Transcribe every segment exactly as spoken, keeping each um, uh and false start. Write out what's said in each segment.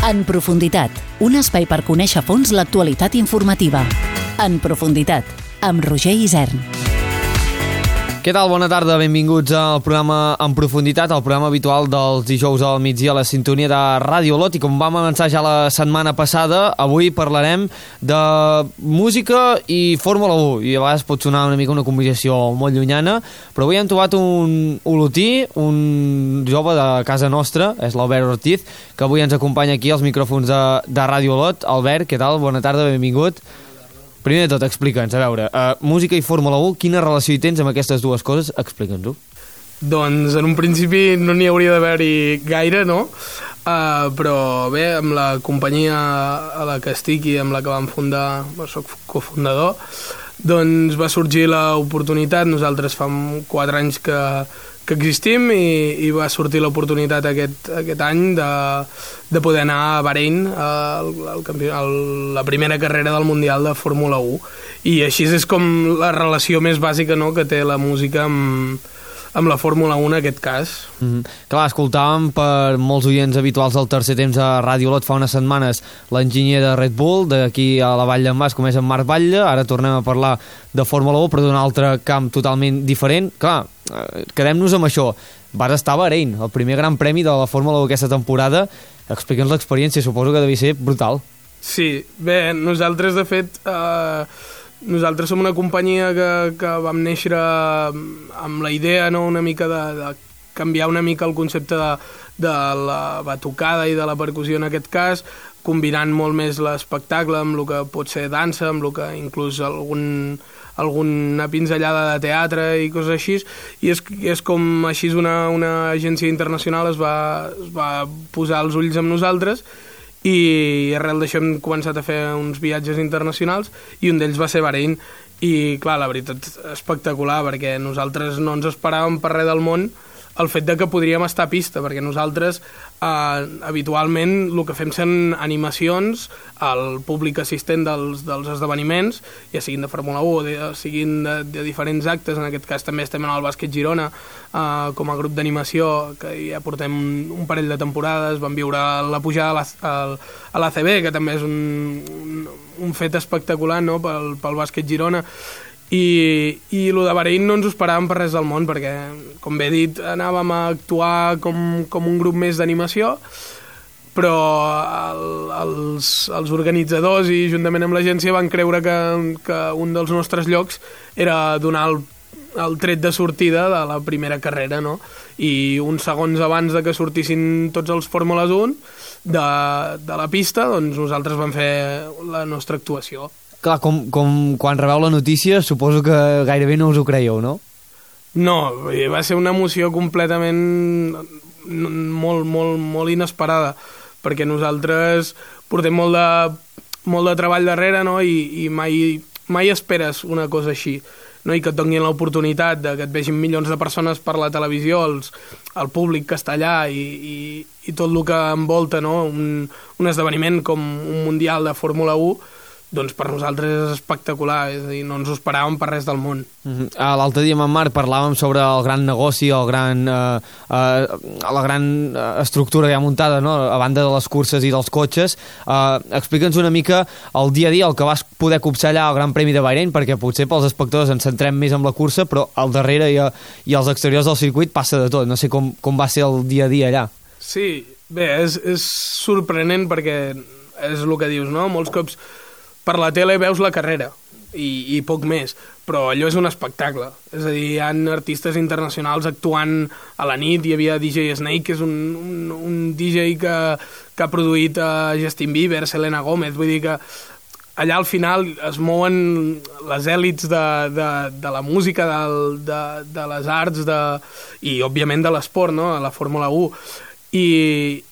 En profunditat, un espai per conèixer a fons l'actualitat informativa. En profunditat, amb Roger Isern. Què tal? Bona tarda, benvinguts al programa En Profunditat, el programa habitual dels dijous al migdia a la sintonia de Ràdio Olot. I com vam avançar ja la setmana passada, avui parlarem de música i Fórmula u. I a vegades pot sonar una mica una combinació molt llunyana, però avui hem trobat un olotí, un jove de casa nostra, és l'Albert Ortiz, que avui ens acompanya aquí als micròfons de, de Ràdio Olot. Albert, què tal? Bona tarda, benvingut. Primer de tot, explica'ns, a veure, uh, música i Fórmula u, quina relació hi tens amb aquestes dues coses? Explica'ns-ho. Doncs en un principi no n'hi hauria d'haver-hi gaire, no? Uh, però bé, amb la companyia a la que estic i amb la que vam fundar, soc cofundador, doncs va sorgir l'oportunitat. Nosaltres fa quatre anys que, que existim i, i va sortir l'oportunitat aquest, aquest any de, de poder anar a Bahrein, al, al campió, a la primera carrera del Mundial de Fórmula u. I així és com la relació més bàsica, no?, que té la música amb, amb la Fórmula u en aquest cas. Mm-hmm. Clar, escoltàvem per molts oients habituals del tercer temps a Ràdio Olot fa unes setmanes l'enginyer de Red Bull, d'aquí a la Vall d'en Bas, com és en Marc Batlle. Ara tornem a parlar de Fórmula u, però d'un altre camp totalment diferent. Clar, quedem-nos amb això. Vas estar a Bahrein, el primer gran premi de la Fórmula u aquesta temporada. Explica'ns l'experiència, suposo que devia ser brutal. Sí, bé, nosaltres de fet... Eh... Nosaltres som una companyia que, que vam néixer amb la idea, no?, una mica de, de canviar una mica el concepte de, de la batucada i de la percussió en aquest cas, combinant molt més l'espectacle amb el que pot ser dansa, amb el que inclús algun, alguna pinzellada de teatre i coses així, i és, és com així una, una agència internacional es va, es va posar els ulls amb nosaltres, i arrel d'això hem començat a fer uns viatges internacionals i un d'ells va ser Bahrein. I clar, la veritat, espectacular, perquè nosaltres no ens esperàvem per res del món el fet de que podríem estar a pista, perquè nosaltres eh, habitualment el que fem són animacions al públic assistent dels, dels esdeveniments, ja siguin de Fórmula u o de, siguin de, de diferents actes. En aquest cas també estem en el Bàsquet Girona eh, com a grup d'animació, que ja portem un parell de temporades. Vam viure la pujada a l'A C B, que també és un, un, un fet espectacular, no?, pel, pel Bàsquet Girona. I, i el de Bahrein no ens ho esperàvem per res del món, perquè, com bé he dit, anàvem a actuar com, com un grup més d'animació, però el, els, els organitzadors i juntament amb l'agència van creure que, que un dels nostres llocs era donar el, el tret de sortida de la primera carrera, no? I uns segons abans de que sortissin tots els Fórmules u de, de la pista, doncs nosaltres vam fer la nostra actuació. Clar, com, com quan rebeu la notícia, suposo que gairebé no us ho creieu, no? No, va ser una emoció completament molt, molt, molt inesperada, perquè nosaltres portem molt de, molt de treball darrere, no?, i, i mai, mai esperes una cosa així, no?, i que et donin l'oportunitat de que et vegin milions de persones per la televisió, els, el públic que està allà i, i, i tot el que envolta, no?, un, un esdeveniment com un Mundial de Fórmula u, doncs per nosaltres és espectacular, és a dir, no ens ho esperàvem per res del món. Mm-hmm. L'altre dia amb en Marc parlàvem sobre el gran negoci, el gran, eh, eh, la gran estructura ja muntada, no?, a banda de les curses i dels cotxes. Eh, Explica'ns una mica el dia a dia, el que vas poder copsar allà al Gran Premi de Bahrein, perquè potser pels espectadors ens centrem més en la cursa, però al darrere i, a, i als exteriors del circuit passa de tot. No sé com, com va ser el dia a dia allà. Sí, bé, és, és sorprenent perquè és el que dius, no? Molts cops per la tele veus la carrera i, i poc més, però allò és un espectacle. És a dir, hi ha artistes internacionals actuant a la nit. Hi havia D J Snake, que és un, un, un D J que, que ha produït a Justin Bieber, Selena Gomez. Vull dir que allà al final es mouen les èlits de, de, de la música, de, de, de les arts de, i, òbviament, de l'esport, no?, a la Fórmula u. I,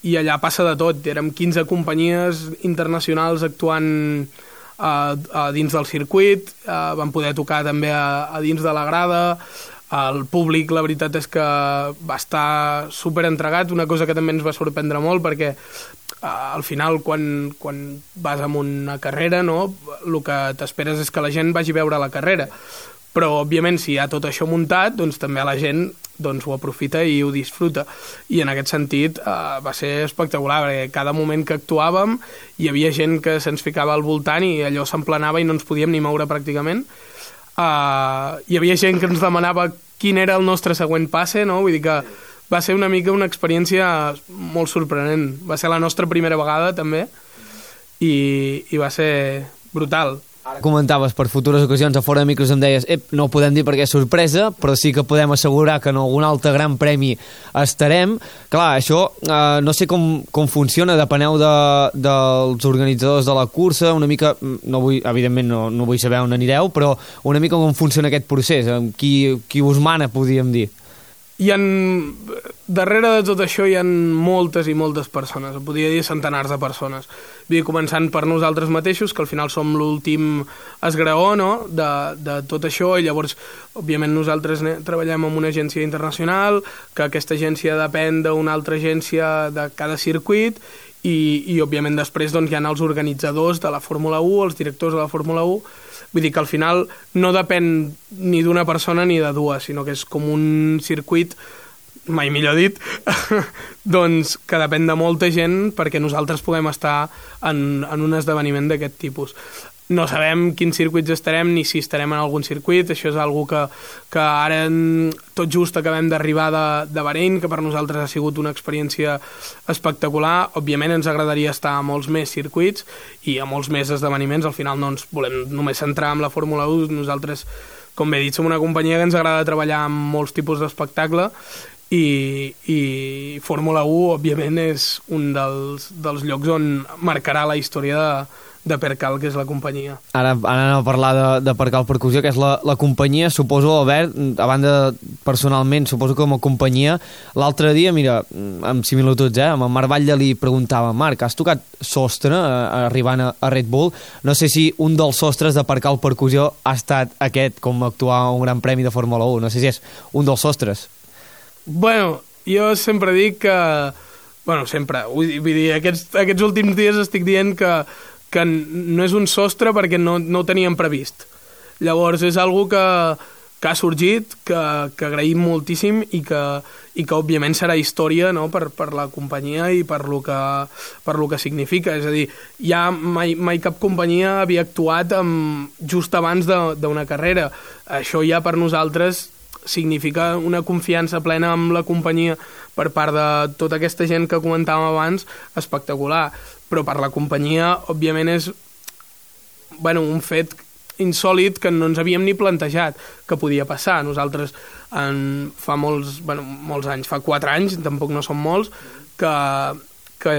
i allà passa de tot. Érem quinze companyies internacionals actuant A, a dins del circuit, a, vam poder tocar també a, a dins de la grada. El públic, la veritat és que va estar super entregat, una cosa que també ens va sorprendre molt, perquè a, al final quan, quan vas a una carrera, no?, el que t'esperes és que la gent vagi a veure la carrera, però òbviament si hi ha tot això muntat, doncs també la gent doncs, ho aprofita i ho disfruta, i en aquest sentit eh, va ser espectacular, perquè cada moment que actuàvem hi havia gent que se'ns ficava al voltant i allò s'emplenava i no ens podíem ni moure pràcticament. Uh, hi havia gent que ens demanava quin era el nostre següent passe, no? Vull dir que va ser una mica una experiència molt sorprenent. Va ser la nostra primera vegada, també, i, i va ser brutal. Ara comentaves per futures ocasions a fora de micros, em deies ep, no ho podem dir perquè és sorpresa, però sí que podem assegurar que en algun altre gran premi estarem. Clar, això eh, no sé com, com funciona, depeneu de, dels organitzadors de la cursa, una mica, no vull, evidentment no, no vull saber on anireu, però una mica com funciona aquest procés, qui, qui us mana, podríem dir. Hi ha, darrere de tot això hi ha moltes i moltes persones, podria dir centenars de persones. Vull dir, començant per nosaltres mateixos, que al final som l'últim esgraó, no?, de, de tot això, i llavors, òbviament, nosaltres treballem amb una agència internacional, que aquesta agència depèn d'una altra agència de cada circuit, i, i òbviament, després doncs, hi ha els organitzadors de la Fórmula u, els directors de la Fórmula u. Vull dir que al final no depèn ni d'una persona ni de dues, sinó que és com un circuit, mai millor dit, doncs que depèn de molta gent perquè nosaltres puguem estar en, en un esdeveniment d'aquest tipus. No sabem quins circuits estarem ni si estarem en algun circuit, això és algo que, que ara tot just acabem d'arribar de, de Bahrein, que per nosaltres ha sigut una experiència espectacular. Òbviament ens agradaria estar a molts més circuits i a molts més esdeveniments, al final no ens volem només centrar en la Fórmula u, nosaltres, com bé he dit, som una companyia que ens agrada treballar amb molts tipus d'espectacle i, i Fórmula u, òbviament, és un dels, dels llocs on marcarà la història de de Percal, que és la companyia. Ara, ara anem a parlar de, de Percal Percussió, que és la, la companyia, suposo, Albert, a banda, personalment, suposo que com a companyia, l'altre dia, mira, amb similituds, eh, amb el Marc Batlle li preguntava, Marc, has tocat sostre eh, arribant a, a Red Bull? No sé si un dels sostres de Percal Percussió ha estat aquest, com actuar a un gran premi de Fórmula u, no sé si és un dels sostres. Bueno, jo sempre dic que... Bueno, sempre, vull dir, aquests, aquests últims dies estic dient que que no és un sostre perquè no, no ho teníem previst. Llavors és algo que, que ha sorgit, que, que agraïm moltíssim i que, i que òbviament serà història, no?, per, per la companyia i per lo que, per lo que significa. És a dir, ja mai, mai cap companyia havia actuat amb, just abans d'una carrera. Això ja per nosaltres significa una confiança plena amb la companyia per part de tota aquesta gent que comentàvem abans, espectacular. Però per la companyia, òbviament, és bueno, un fet insòlit que no ens havíem ni plantejat que podia passar. Nosaltres en, fa molts, bueno, molts anys, fa quatre anys, tampoc no són molts, que, que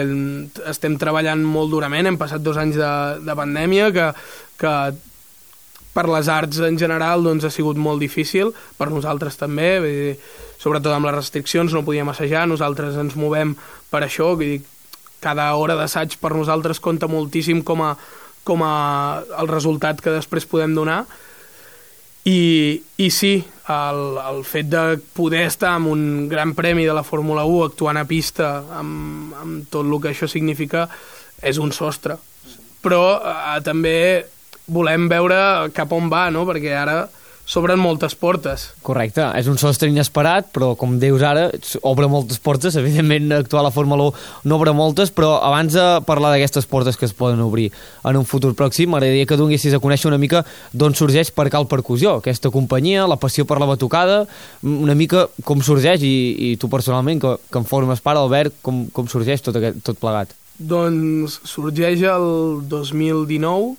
estem treballant molt durament, hem passat dos anys de, de pandèmia, que, que per les arts en general doncs, ha sigut molt difícil, per nosaltres també, vull dir, sobretot amb les restriccions no podíem assajar, nosaltres ens movem per això, vull dir, cada hora d'assaig per nosaltres compta moltíssim com a, com a el resultat que després podem donar. I, i sí, el, el fet de poder estar en un gran premi de la Fórmula u actuant a pista amb, amb tot el que això significa és un sostre. Però eh, també volem veure cap on va, no?, perquè ara s'obren moltes portes. Correcte, és un sostre inesperat, però com dius ara, obre moltes portes, evidentment actuar a la Fórmula u no obre moltes, però abans de parlar d'aquestes portes que es poden obrir en un futur pròxim, m'agradaria que donessis a conèixer una mica d'on sorgeix Percal Percussió, aquesta companyia, la passió per la batucada, una mica com sorgeix, i, i tu personalment, que, que en formes part, Albert, com, com sorgeix tot, aquest, tot plegat? Doncs sorgeix el dos mil dinou,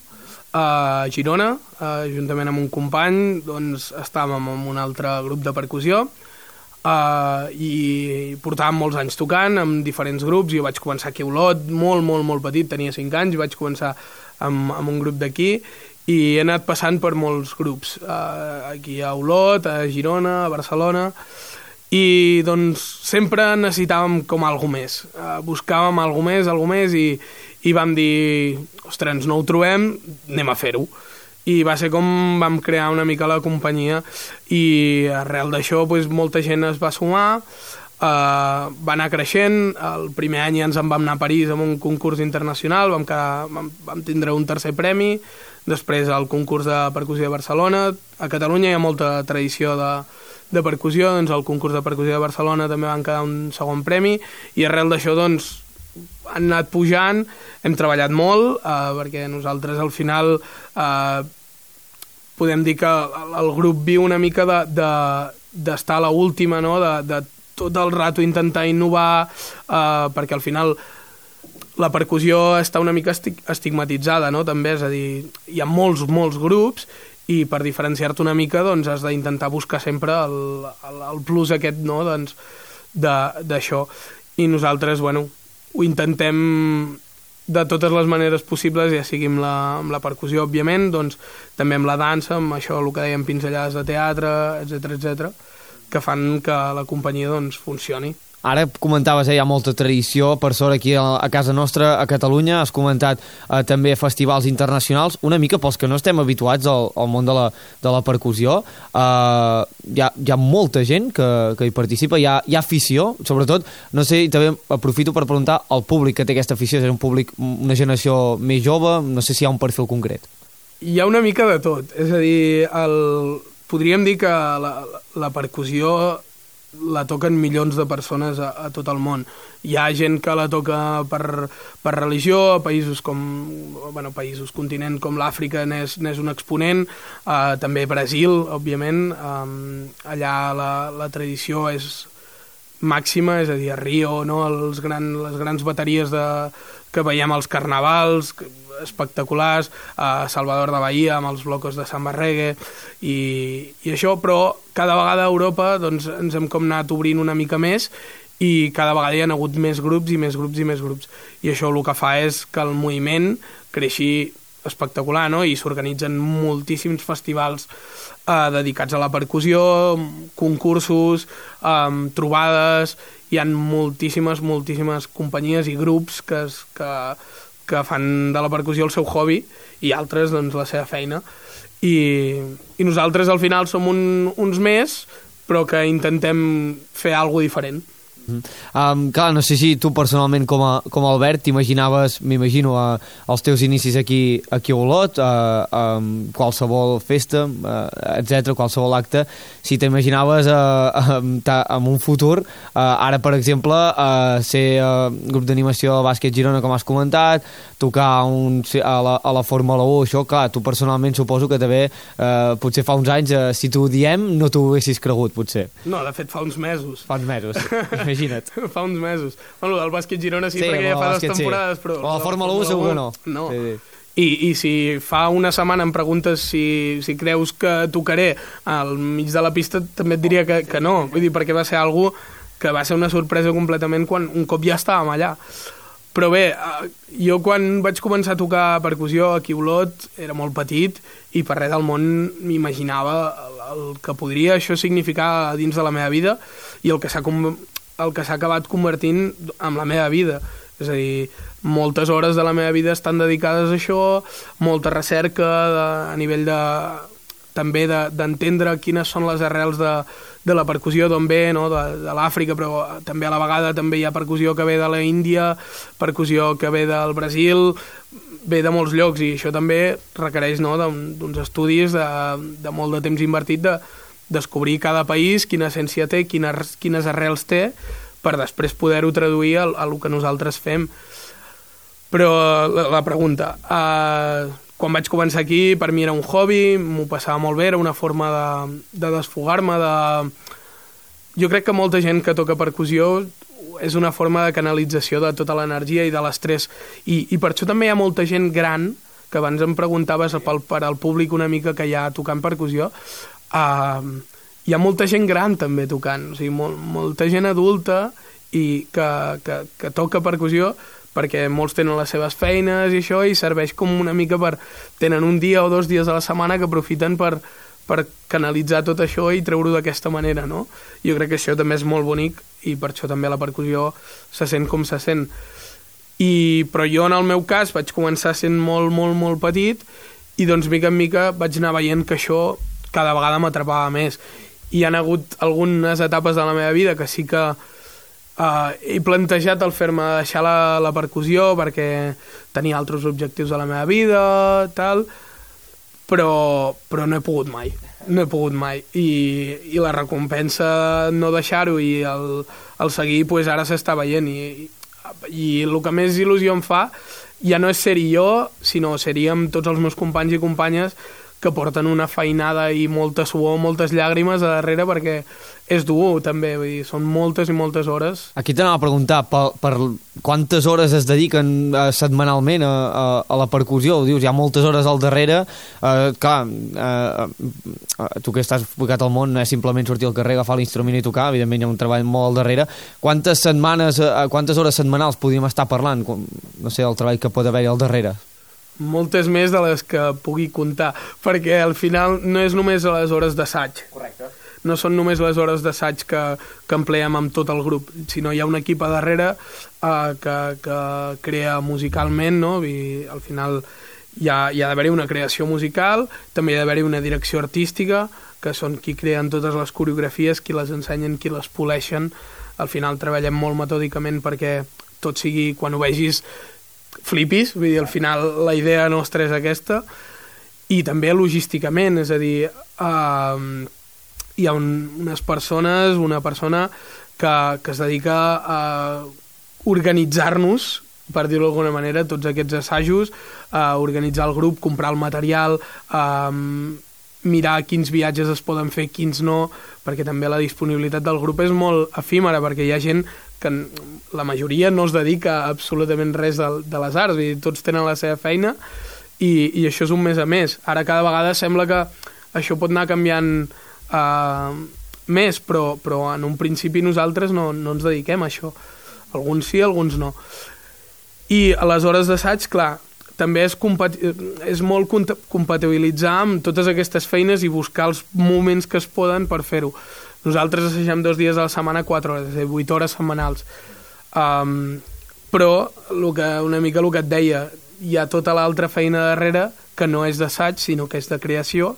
a Girona, uh, juntament amb un company, doncs estàvem en un altre grup de percussió uh, i portàvem molts anys tocant amb diferents grups. Jo vaig començar aquí a Olot, molt, molt, molt petit, tenia cinc anys, i vaig començar amb, amb un grup d'aquí i he anat passant per molts grups, uh, aquí a Olot, a Girona, a Barcelona, i doncs sempre necessitàvem com alguna més, uh, buscàvem alguna més, alguna més, i i vam dir, ostres, no ho trobem, anem a fer-ho. I va ser com vam crear una mica la companyia i arrel d'això doncs, molta gent es va sumar, eh, va anar creixent. El primer any ja ens en vam anar a París amb un concurs internacional, vam, quedar, vam, vam tindre un tercer premi, després el concurs de percussió de Barcelona. A Catalunya hi ha molta tradició de, de percussió, doncs el concurs de percussió de Barcelona també van quedar un segon premi, i arrel d'això doncs han anat pujant, hem treballat molt, eh, perquè nosaltres al final eh, podem dir que el grup viu una mica de, de, d'estar a l'última, no? de, de tot el rato intentar innovar, eh, perquè al final la percussió està una mica estigmatitzada, no? També, és a dir, hi ha molts, molts grups, i per diferenciar-te una mica doncs has d'intentar buscar sempre el, el, el plus aquest, no? Doncs d'això. I nosaltres, bueno, ho intentem de totes les maneres possibles, ja sigui amb la, amb la percussió, òbviament, doncs també amb la dansa, amb això, el que dèiem, pinzellades de teatre, etcètera, etcètera, que fan que la companyia doncs funcioni. Ara comentaves, eh, hi ha molta tradició per sort aquí a, a casa nostra, a Catalunya. Has comentat eh, també festivals internacionals. Una mica pels que no estem habituats al, al món de la, de la percussió, eh, hi, ha, hi ha molta gent que, que hi participa, hi ha, hi ha afició, sobretot, no sé, i també aprofito per preguntar al públic que té aquesta afició, és un públic, una generació més jove, no sé si hi ha un perfil concret. Hi ha una mica de tot, és a dir, el... podríem dir que la, la percussió la toquen milions de persones a, a tot el món. Hi ha gent que la toca per, per religió, a països com, bueno, països, continent com l'Àfrica n'és, n'és un exponent, uh, també Brasil, òbviament, um, allà la, la tradició és màxima, és a dir, a Rio, no? Els gran, les grans bateries de, que veiem als carnavals, espectaculars, a Salvador de Bahia amb els blocos de samba reggae i, i això, però cada vegada a Europa doncs, ens hem com anat obrint una mica més i cada vegada hi ha hagut més grups i més grups i més grups, i això el que fa és que el moviment creixi espectacular, no? I s'organitzen moltíssims festivals eh, dedicats a la percussió, concursos, eh, trobades, hi ha moltíssimes, moltíssimes companyies i grups que, es, que que fan de la percussió el seu hobby i altres doncs la seva feina, i, i nosaltres al final som un, uns més, però que intentem fer alguna cosa diferent. Um, clar, no sé si tu personalment com a, com a Albert t'imaginaves, m'imagino, uh, els teus inicis aquí, aquí a Olot, uh, um, qualsevol festa, uh, etcètera, qualsevol acte, si t'imaginaves uh, um, en un futur, uh, ara per exemple, uh, ser uh, grup d'animació de bàsquet Girona, com has comentat, tocar un, a, la, a la Fórmula u, això, clar, tu personalment suposo que també, uh, potser fa uns anys, uh, si t'ho diem, no t'ho haguessis cregut, potser. No, de fet, fa uns mesos. Fa uns mesos, imagina't. Fa uns mesos. Bueno, el bàsquet Girona sí, sí perquè ja fa dues temporades, sí. Però... O la Fórmula u segur que no. No. Sí, sí. I, I si fa una setmana em preguntes si, si creus que tocaré al mig de la pista, també et diria que, que no. Vull dir, perquè va ser algo que va ser una sorpresa completament quan un cop ja estàvem allà. Però bé, jo quan vaig començar a tocar percussió aquí a Olot era molt petit i per res del món m'imaginava el, el que podria això significar dins de la meva vida i el que s'ha el que s'ha acabat convertint en la meva vida. És a dir, moltes hores de la meva vida estan dedicades a això, molta recerca de, a nivell de també d'entendre de, quines són les arrels de, de la percussió, d'on ve, no? de, de l'Àfrica, però també a la vegada també hi ha percussió que ve de la Índia, percussió que ve del Brasil, ve de molts llocs, i això també requereix, no? d'uns estudis de, de molt de temps invertit de descobrir cada país, quina essència té, quines, quines arrels té, per després poder-ho traduir a, a el que nosaltres fem. Però la, la pregunta, eh, quan vaig començar aquí, per mi era un hobby, m'ho passava molt bé, era una forma de, de desfogar-me, de... Jo crec que molta gent que toca percussió és una forma de canalització de tota l'energia i de l'estrès, i, i per això també hi ha molta gent gran, que abans em preguntaves per, per al públic una mica que hi ha tocant percussió. Uh, hi ha molta gent gran també tocant, o sigui, mol, molta gent adulta i que, que, que toca percussió, perquè molts tenen les seves feines i això, i serveix com una mica per... tenen un dia o dos dies a la setmana que aprofiten per, per canalitzar tot això i treure-ho d'aquesta manera, no? Jo crec que això també és molt bonic i per això també la percussió se sent com se sent. I, però jo en el meu cas vaig començar sent molt, molt, molt petit i doncs mica en mica vaig anar veient que això cada vegada m'atrapava més. I hi ha hagut algunes etapes de la meva vida que sí que uh, he plantejat el fer-me deixar la, la percussió perquè tenia altres objectius a la meva vida, tal, però, però no he pogut mai, no he pogut mai. I, i la recompensa no deixar-ho i el, el seguir, pues ara s'està veient. I, I el que més il·lusió em fa ja no és ser-hi jo, sinó seríem tots els meus companys i companyes que porten una feinada i molta suor, moltes llàgrimes a darrere, perquè és dur també, vull dir, són moltes i moltes hores. Aquí t'anava a preguntar, per, per quantes hores es dediquen uh, setmanalment a, a, a la percussió? Ho dius, hi ha moltes hores al darrere, uh, clar, uh, uh, tu que estàs ficat al món no és simplement sortir al carrer, agafar l'instrument i tocar, evidentment hi ha un treball molt al darrere. Quantes setmanes, uh, quantes hores setmanals podríem estar parlant? No sé, el treball que pot haver-hi al darrere. Moltes més de les que pugui comptar, perquè al final no és només a les hores d'assaig. Correcte. No són només les hores d'assaig que, que empleem amb tot el grup, sinó hi ha un equip a darrere eh, que, que crea musicalment, no? I al final hi ha, hi ha d'haver-hi una creació musical, també hi ha d'haver-hi una direcció artística, que són qui creen totes les coreografies, qui les ensenyen, qui les poleixen. Al final treballem molt metòdicament perquè tot sigui, quan ho vegis, flipis, vull dir, al final la idea nostra és aquesta, i també logísticament, és a dir, eh, hi ha un, unes persones, una persona que, que es dedica a organitzar-nos, per dir-ho d'alguna manera, tots aquests assajos, a organitzar el grup, comprar el material, a mirar quins viatges es poden fer, quins no, perquè també la disponibilitat del grup és molt efímera, perquè hi ha gent que la majoria no es dedica a absolutament res de, de les arts, i tots tenen la seva feina, i, i això és un mes a més. Ara cada vegada sembla que això pot anar canviant uh, més, però, però en un principi nosaltres no, no ens dediquem a això. Alguns sí, alguns no. I a les hores d'assaig, clar, també és, és molt compatibilitzar amb totes aquestes feines i buscar els moments que es poden per fer-ho. Nosaltres assagem dos dies a la setmana, quatre hores, és a dir, vuit hores setmanals. Um, però el que, una mica el que et deia, hi ha tota l'altra feina darrere que no és d'assaig, sinó que és de creació,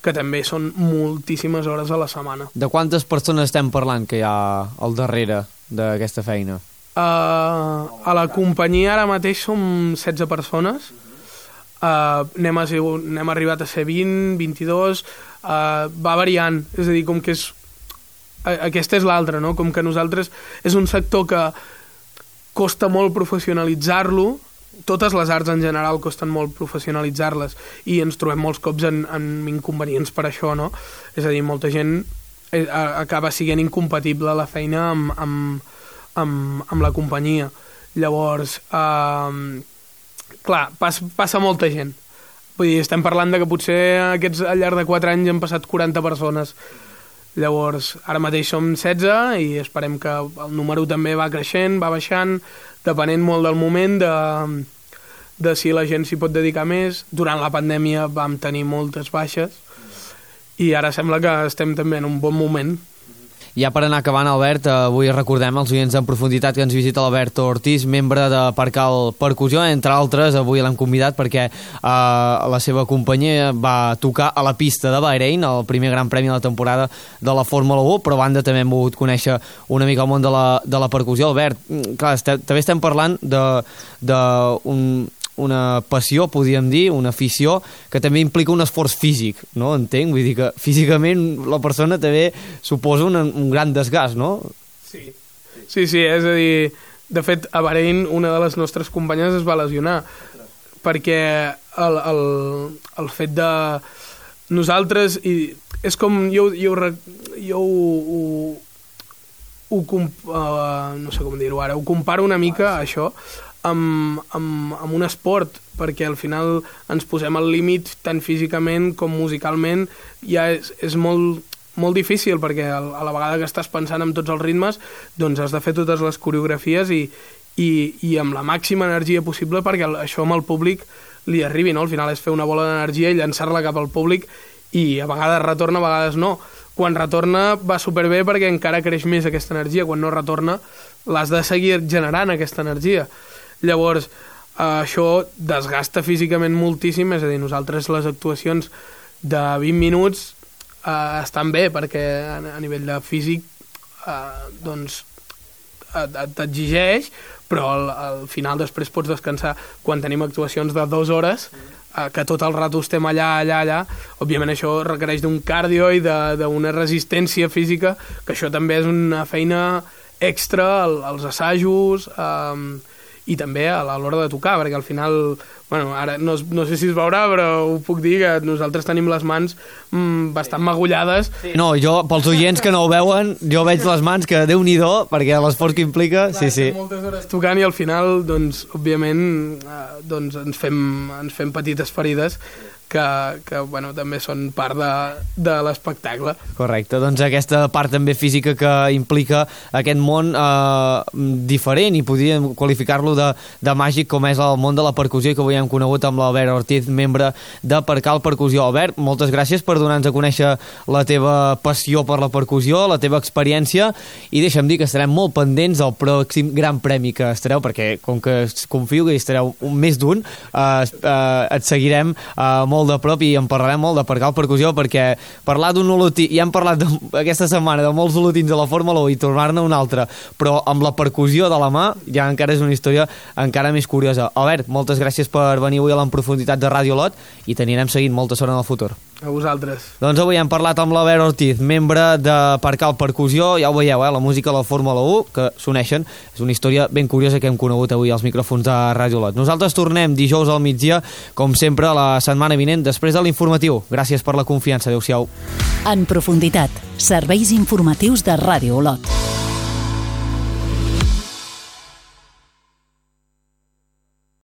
que també són moltíssimes hores a la setmana. De quantes persones estem parlant que hi ha al darrere d'aquesta feina? Uh, a la companyia ara mateix som setze persones, uh, n'hem, n'hem arribat a ser vint, vint-i-dos, uh, va variant, és a dir, com que és aquesta és l'altra, no? Com que nosaltres és un sector que costa molt professionalitzar-lo, totes les arts en general costen molt professionalitzar-les i ens trobem molts cops en, en inconvenients per això, no? És a dir, molta gent acaba sent incompatible la feina amb, amb, amb, amb la companyia. Llavors, eh, clar, pas, passa molta gent. Vull dir, estem parlant de que potser aquests, al llarg de quatre anys han passat quaranta persones. Llavors, ara mateix som setze i esperem que el número també va creixent, va baixant, depenent molt del moment, de, de si la gent s'hi pot dedicar més. Durant la pandèmia vam tenir moltes baixes i ara sembla que estem també en un bon moment. Ja per anar acabant, Albert, avui recordem els oients en profunditat que ens visita l'Albert Ortiz, membre de Parcal Percussió, entre altres. Avui l'hem convidat perquè eh, la seva companyia va tocar a la pista de Bahrein, el primer gran premi de la temporada de la Fórmula u, però a banda també hem volgut conèixer una mica el món de la, de la percussió. Albert, clar, este, també estem parlant de, de un... una passió, podríem dir, una afició que també implica un esforç físic, no? Entenc? Vull dir que físicament la persona també suposa un, un gran desgast, no? Sí. sí, sí, és a dir, de fet, a Bahrein una de les nostres companyes es va lesionar perquè el, el, el fet de nosaltres, i és com jo, jo, jo ho, ho, ho uh, no sé com dir-ho ara, ho comparo una mica a això Amb, amb, amb un esport, perquè al final ens posem al límit tant físicament com musicalment. Ja és, és molt, molt difícil perquè a la vegada que estàs pensant en tots els ritmes doncs has de fer totes les coreografies i, i, i amb la màxima energia possible perquè això amb el públic li arribi, no? Al final és fer una bola d'energia i llançar-la cap al públic i a vegades retorna, a vegades no. Quan retorna va superbé perquè encara creix més aquesta energia, quan no retorna l'has de seguir generant aquesta energia. Llavors, eh, això desgasta físicament moltíssim, és a dir, nosaltres les actuacions de vint minuts eh, estan bé, perquè a, a nivell de físic eh, doncs t'exigeix, però al, al final després pots descansar. Quan tenim actuacions de dues hores eh, que tot el rato estem allà, allà, allà, òbviament això requereix d'un cardio i d'una resistència física, que això també és una feina extra als assajos, eh, i també a l'hora de tocar, perquè al final, bueno, ara no, no sé si es veurà, però ho puc dir, que nosaltres tenim les mans mm, bastant magullades. Sí. No, jo, pels oients que no ho veuen, jo veig les mans que Déu-n'hi-do, perquè l'esforç que implica, clar, sí, sí. Moltes hores tocant i al final, doncs, òbviament, eh, doncs ens fem, ens fem petites ferides, que, que bueno, també són part de, de l'espectacle. Correcte, doncs aquesta part també física que implica aquest món eh, diferent, i podríem qualificar-lo de, de màgic, com és el món de la percussió, que avui hem conegut amb l'Albert Ortiz, membre de Percal Percussió. Albert, moltes gràcies per donar-nos a conèixer la teva passió per la percussió, la teva experiència, i deixa'm dir que estarem molt pendents del pròxim gran premi que estareu, perquè com que confio que hi estareu un, més d'un, eh, eh, et seguirem eh, molt de prop i en parlarem molt de Percal Percussió, perquè parlar d'un olotí, ja hem parlat de, aquesta setmana de molts olotins de la Fórmula u i tornar-ne un altre, però amb la percussió de la mà ja encara és una història encara més curiosa. Albert, moltes gràcies per venir avui a l'Enprofunditat de Ràdio Lot i t'anirem seguint molta sort en el futur. A vosaltres. Doncs avui hem parlat amb l'Albert Ortiz, membre de Percal Percussió. Ja ho veieu, eh? La música de la Fórmula u, que s'uneixen. És una història ben curiosa que hem conegut avui als micròfons de Ràdio Lot. Nosaltres tornem dijous al migdia, com sempre, la setmana vinent, després de l'informatiu. Gràcies per la confiança. Adéu-siau. En profunditat, serveis informatius de Ràdio Lot.